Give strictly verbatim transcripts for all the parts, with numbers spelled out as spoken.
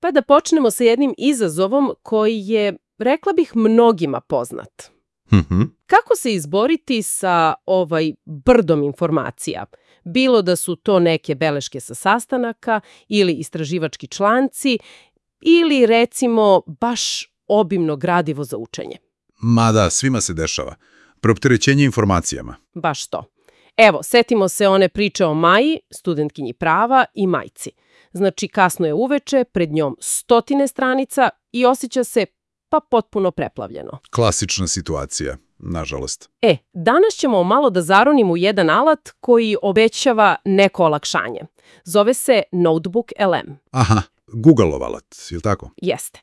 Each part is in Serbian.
Pa da počnemo sa jednim izazovom koji je, rekla bih, mnogima poznat. Mhm. Kako se izboriti sa ovaj brdom informacija? Bilo da su to neke beleške sa sastanaka ili istraživački članci ili recimo baš obimno gradivo za učenje. Ma da, svima se dešava. Preopterećenje informacijama. Baš to. Evo, setimo se one priče o Maji, studentkinji prava i majci. Znači, kasno je uveče, pred njom stotine stranica i osjeća se pa potpuno preplavljeno. Klasična situacija, nažalost. E, danas ćemo malo da zaronimo u jedan alat koji obećava neko olakšanje. Zove se Notebook L M. Aha, Google-ov alat, je li tako? Jeste.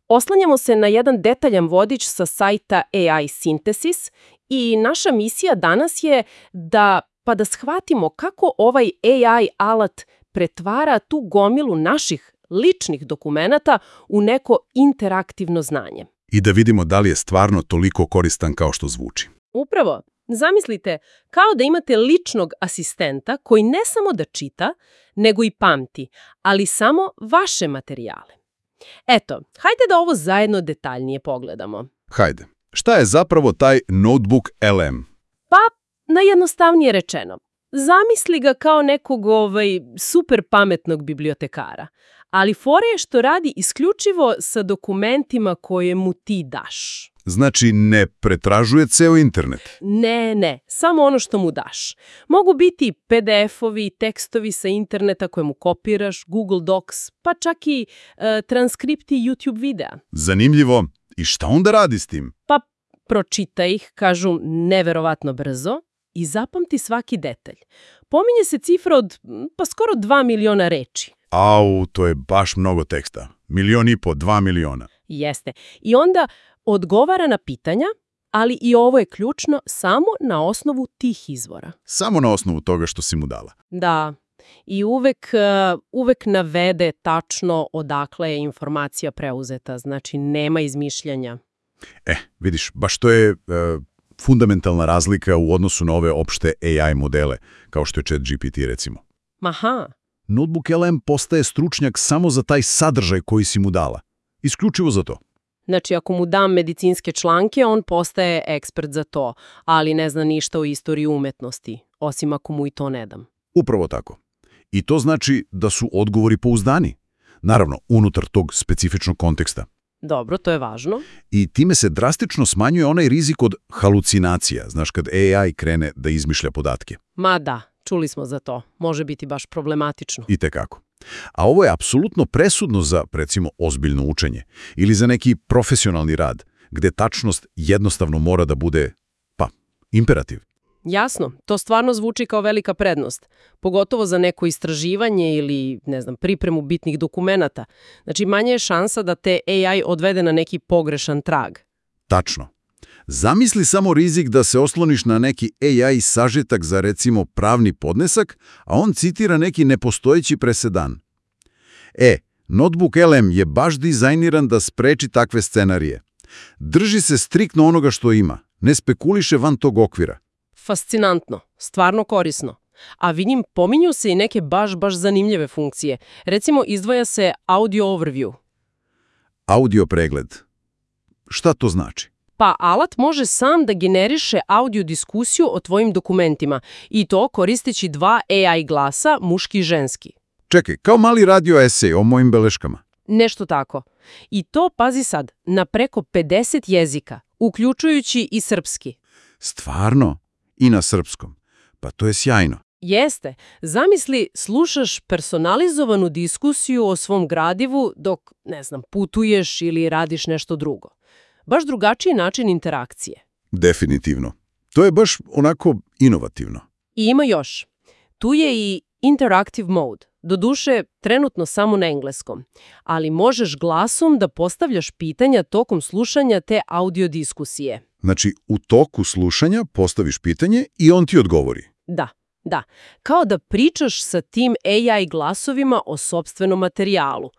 Oslanjamo se na jedan detaljan vodič sa sajta A I Synthesis i naša misija danas je da, pa da shvatimo kako ovaj A I alat pretvara tu gomilu naših ličnih dokumenata u neko interaktivno znanje. I da vidimo da li je stvarno toliko koristan kao što zvuči. Upravo, zamislite kao da imate ličnog asistenta koji ne samo da čita, nego i pamti, ali samo vaše materijale. Eto, hajde da ovo zajedno detaljnije pogledamo. Hajde. Šta je zapravo taj Notebook L M? Pa, najjednostavnije rečeno, zamisli ga kao nekog ovaj, super pametnog bibliotekara, ali fora je što radi isključivo sa dokumentima koje mu ti daš. Znači, ne pretražuje ceo internet. Ne, ne, samo ono što mu daš. Mogu biti P D F-ovi, tekstovi sa interneta koje mu kopiraš, Google Docs, pa čak i e, transkripti YouTube videa. Zanimljivo. I šta onda radi s tim? Pa pročita ih, kažu neverovatno brzo, i zapamti svaki detalj. Pominje se cifra od pa skoro dva miliona reči. Au, to je baš mnogo teksta. Milion i po, dva miliona. Jeste. I onda odgovara na pitanja, ali i ovo je ključno, samo na osnovu tih izvora. Samo na osnovu toga što si mu dala. Da. I uvek, uh, uvek navede tačno odakle je informacija preuzeta. Znači, nema izmišljanja. E, vidiš, baš to je e, fundamentalna razlika u odnosu na ove opšte A I modele, kao što je ChatGPT recimo. Aha. Notebook L M postaje stručnjak samo za taj sadržaj koji si mu dala. Isključivo za to. Znači, ako mu dam medicinske članke, on postaje ekspert za to, ali ne zna ništa o istoriji umetnosti, osim ako mu i to ne dam. Upravo tako. I to znači da su odgovori pouzdani. Naravno, unutar tog specifičnog konteksta. Dobro, to je važno. I time se drastično smanjuje onaj rizik od halucinacija, znaš, kad A I krene da izmišlja podatke. Ma da, čuli smo za to. Može biti baš problematično. I tekako. A ovo je apsolutno presudno za, recimo, ozbiljno učenje ili za neki profesionalni rad, gde tačnost jednostavno mora da bude, pa, imperativ. Jasno, to stvarno zvuči kao velika prednost, pogotovo za neko istraživanje ili, ne znam, pripremu bitnih dokumenata. Znači, manje je šansa da te A I odvede na neki pogrešan trag. Tačno. Zamisli samo rizik da se osloniš na neki A I sažetak za, recimo, pravni podnesak, a on citira neki nepostojeći presedan. E, Notebook L M je baš dizajniran da spreči takve scenarije. Drži se striktno onoga što ima, ne spekuliše van tog okvira. Fascinantno, stvarno korisno. A vidim, pominju se i neke baš, baš zanimljive funkcije. Recimo, izdvaja se audio overview. Audio pregled. Šta to znači? Pa alat može sam da generiše audio diskusiju o tvojim dokumentima i to koristeći dva A I glasa, muški i ženski. Čekaj, kao mali radio esej o mojim beleškama. Nešto tako. I to, pazi sad, na preko pedeset jezika, uključujući i srpski. Stvarno? I na srpskom. Pa to je sjajno. Jeste. Zamisli, slušaš personalizovanu diskusiju o svom gradivu dok, ne znam, putuješ ili radiš nešto drugo. Baš drugačiji način interakcije. Definitivno. To je baš onako inovativno. I ima još. Tu je i interactive mode. Doduše, trenutno samo na engleskom. Ali možeš glasom da postavljaš pitanja tokom slušanja te audio diskusije. Znači, u toku slušanja postaviš pitanje i on ti odgovori. Da, da. Kao da pričaš sa tim A I glasovima o sopstvenom materijalu.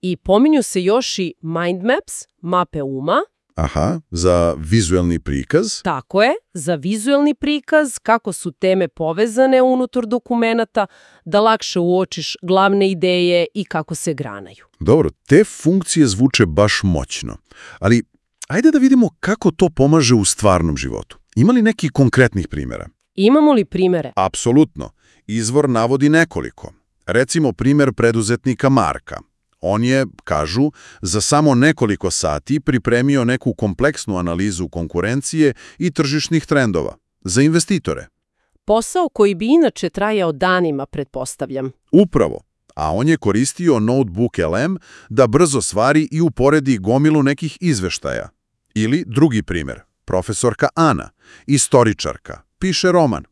I pominju se još i mind maps, mape uma, Aha, za vizuelni prikaz? Tako je, za vizuelni prikaz, kako su teme povezane unutar dokumenata, da lakše uočiš glavne ideje i kako se granaju. Dobro, te funkcije zvuče baš moćno, ali ajde da vidimo kako to pomaže u stvarnom životu. Ima li neki konkretnih primjera? Imamo li primere? Apsolutno. Izvor navodi nekoliko. Recimo primjer preduzetnika Marka. On je, kažu, za samo nekoliko sati pripremio neku kompleksnu analizu konkurencije i tržišnih trendova za investitore. Posao koji bi inače trajao danima, pretpostavljam. Upravo. A on je koristio Notebook L M da brzo stvari i uporedi gomilu nekih izveštaja. Ili drugi primjer, profesorka Ana, istoričarka, piše roman.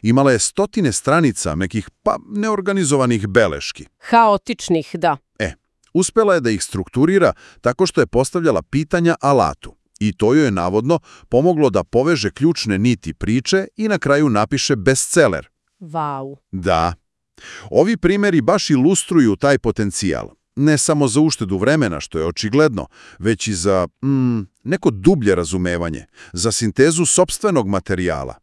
Imala je stotine stranica nekih, pa, neorganizovanih beleški. Haotičnih, da. E, uspela je da ih strukturira tako što je postavljala pitanja alatu. I to joj je navodno pomoglo da poveže ključne niti priče i na kraju napiše bestseller. Vau. Da. Ovi primjeri baš ilustruju taj potencijal. Ne samo za uštedu vremena, što je očigledno, već i za mm, neko dublje razumevanje, za sintezu sopstvenog materijala.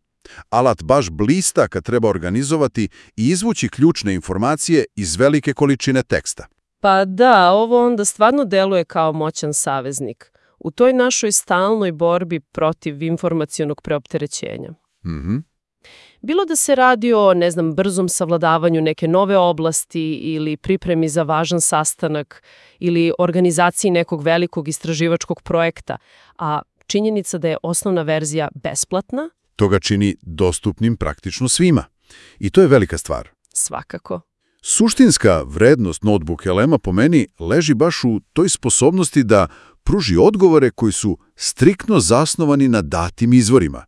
Alat baš blista kad treba organizovati i izvući ključne informacije iz velike količine teksta. Pa da, ovo onda stvarno deluje kao moćan saveznik u toj našoj stalnoj borbi protiv informacionog preopterećenja. Mhm. Bilo da se radi o, ne znam, brzom savladavanju neke nove oblasti ili pripremi za važan sastanak ili organizaciji nekog velikog istraživačkog projekta, a činjenica da je osnovna verzija besplatna, To ga čini dostupnim praktično svima. I to je velika stvar. svakako. Suštinska vrednost Notebook L M-a po meni leži baš u toj sposobnosti da pruži odgovore koji su striktno zasnovani na datim izvorima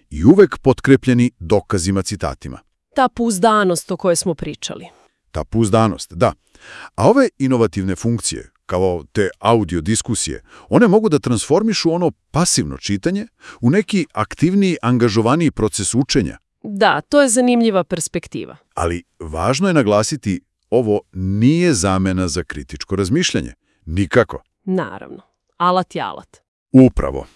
i uvek potkrepljeni dokazima, citatima. Ta pouzdanost o kojoj smo pričali. Ta pouzdanost, da. A ove inovativne funkcije, kao te audio diskusije, one mogu da transformišu ono pasivno čitanje u neki aktivniji, angažovaniji proces učenja. Da, to je zanimljiva perspektiva. Ali važno je naglasiti, ovo nije zamena za kritičko razmišljanje. Nikako. Naravno. Alat je alat. Upravo.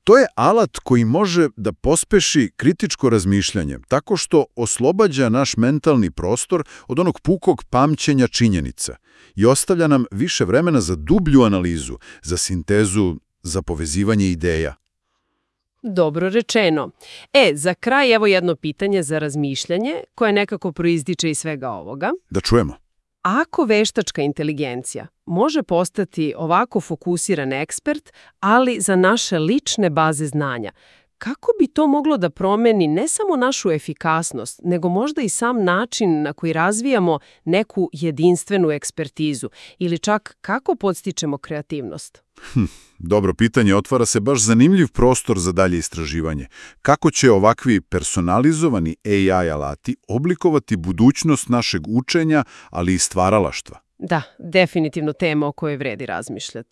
To je alat koji može da pospeši kritičko razmišljanje tako što oslobađa naš mentalni prostor od onog pukog pamćenja činjenica i ostavlja nam više vremena za dublju analizu, za sintezu, za povezivanje ideja. Dobro rečeno. E, za kraj evo jedno pitanje za razmišljanje koje nekako proizdiče iz svega ovoga. Da čujemo. Ako veštačka inteligencija može postati ovako fokusiran ekspert, ali za naše lične baze znanja, kako bi to moglo da promeni ne samo našu efikasnost, nego možda i sam način na koji razvijamo neku jedinstvenu ekspertizu ili čak kako podstičemo kreativnost? Hm, dobro pitanje, otvara se baš zanimljiv prostor za dalje istraživanje. Kako će ovakvi personalizovani A I alati oblikovati budućnost našeg učenja, ali i stvaralaštva? Da, definitivno tema o kojoj vredi razmišljati.